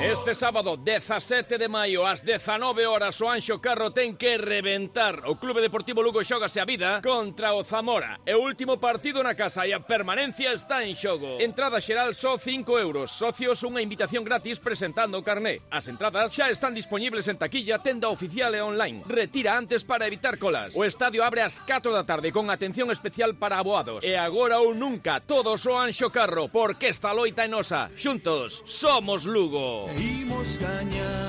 Este sábado, 17 de maio, ás 19 horas, o Anxo Carro ten que reventar. O Clube Deportivo Lugo xógase a vida contra o Zamora. É o último partido na casa e a permanencia está en xogo. Entrada xeral só 5 euros. Socios, unha invitación gratis presentando o carné. As entradas xa están dispoñibles en taquilla, tenda oficial e online. Retira antes para evitar colas. O estadio abre ás 4 da tarde con atención especial para aboados. E agora ou nunca, todos o Anxo Carro, porque esta loita é nosa. Xuntos, somos Lugo. Imos gañar.